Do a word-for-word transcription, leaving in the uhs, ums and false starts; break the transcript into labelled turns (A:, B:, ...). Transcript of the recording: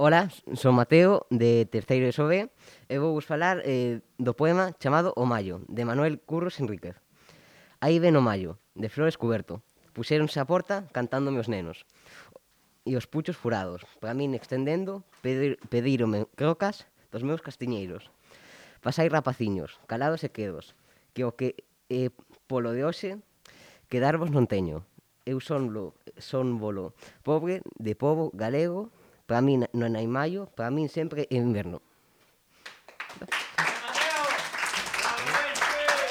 A: Ola, son Mateo, de terceiro de SOB, e vou vos falar eh, do poema chamado O Mallo, de Manuel Curros Enríquez. Aí ven o mallo, de flores cuberto, puxéronse á porta cantando meus nenos, e os puchos furados, para min extendendo, pedir, pedírome crocas dos meus castiñeiros. Pasai rapaciños, calados e quedos, que o que eh, polo de hoxe quedarvos non teño. Eu son lo, son bolo pobre de pobo galego, para min non hai maio, para min sempre é inverno.